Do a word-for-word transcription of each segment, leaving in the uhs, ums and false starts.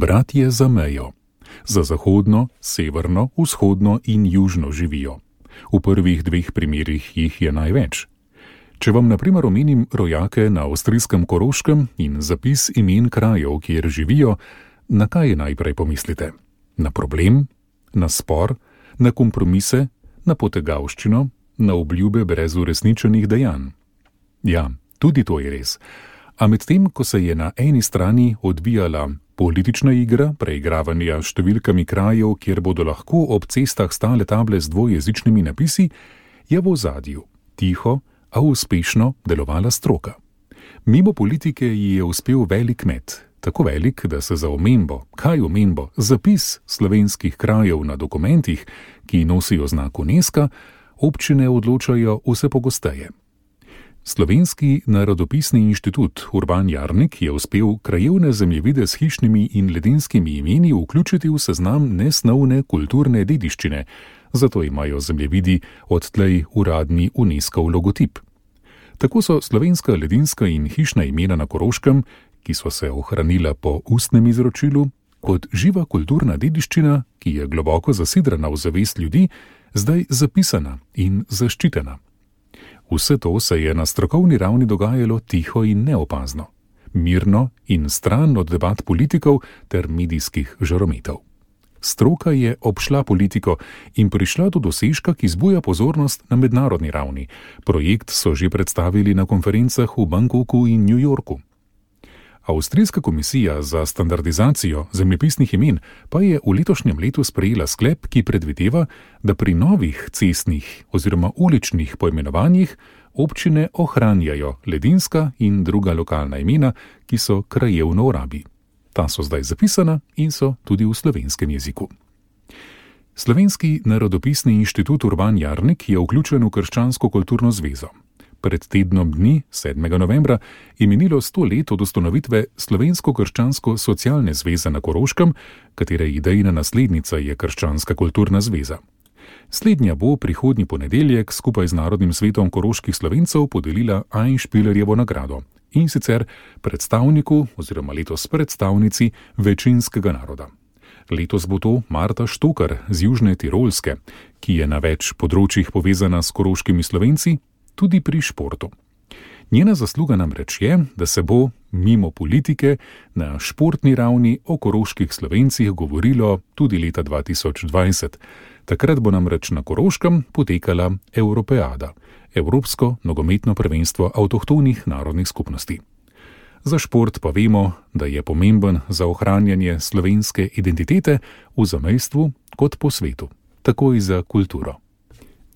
Bratje za mejo. Za zahodno, severno, vzhodno in južno živijo. V prvih dveh primerih jih je največ. Če vam na primer omenim rojake na avstrijskem Koroškem in zapis imen krajev, kjer živijo, na kaj najprej pomislite? Na problem, na spor, na kompromise, na potegavščino, na obljube brez uresničenih dejanj. Ja, tudi to je res. A medtem, ko se je na eni strani odvijala politična igra preigravanja številkami krajev, kjer bodo lahko ob cestah stale table z dvojezičnimi napisi, je v ozadju tiho, a uspešno delovala stroka. Mimo politike ji je uspel velik met, tako velik, da se za omembo, kaj omembo, zapis slovenskih krajev na dokumentih, ki nosijo znak UNESCO, občine odločajo vse pogosteje. Slovenski narodopisni inštitut Urban Jarnik je uspel krajevne zemljevide s hišnimi in ledenskimi imeni vključiti v seznam nesnovne kulturne dediščine, zato imajo zemljevidi odtlej uradni UNESCOV logotip. Tako so slovenska ledinska in hišna imena na Koroškem, ki so se ohranila po ustnem izročilu, kot živa kulturna dediščina, ki je globoko zasidrana v zavest ljudi, zdaj zapisana in zaščitena. Vse to se je na strokovni ravni dogajalo tiho in neopazno, mirno in stran od debat politikov ter medijskih žarometov. Stroka je obšla politiko in prišla do dosežka, ki zbuja pozornost na mednarodni ravni. Projekt so že predstavili na konferencah v Bangkoku in New Yorku. Avstrijska komisija za standardizacijo zemljepisnih imen pa je v letošnjem letu sprejela sklep, ki predvideva, da pri novih cestnih oziroma uličnih poimenovanjih občine ohranjajo ledinska in druga lokalna imena, ki so krajevno v rabi. Ta so zdaj zapisana in so tudi v slovenskem jeziku. Slovenski narodopisni inštitut Urban Jarnik je vključen v Krščansko kulturno zvezo. Pred tednom dni, sedmega novembra, je minilo sto let od ustanovitve Slovensko-krščansko socialne zveze na Koroškem, katere idejna naslednica je Krščanska kulturna zveza. Slednja bo prihodnji ponedeljek skupaj z Narodnim svetom koroških Slovencev podelila Einspielerjevo nagrado, in sicer predstavniku oziroma letos predstavnici večinskega naroda. Letos bo to Marta Štokar z Južne Tirolske, ki je na več področjih povezana s koroškimi Slovenci, tudi pri športu. Njena zasluga namreč je, da se bo mimo politike na športni ravni o koroških Slovencih govorilo tudi leta dva tisoč dvajset. Takrat bo namreč na Koroškem potekala Evropeada, Evropsko nogometno prvenstvo avtohtonih narodnih skupnosti. Za šport pa vemo, da je pomemben za ohranjanje slovenske identitete v zamejstvu kot po svetu, tako in za kulturo.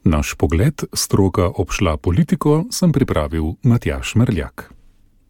Naš pogled, stroka obšla politiko, sem pripravil Matjaž Merljak.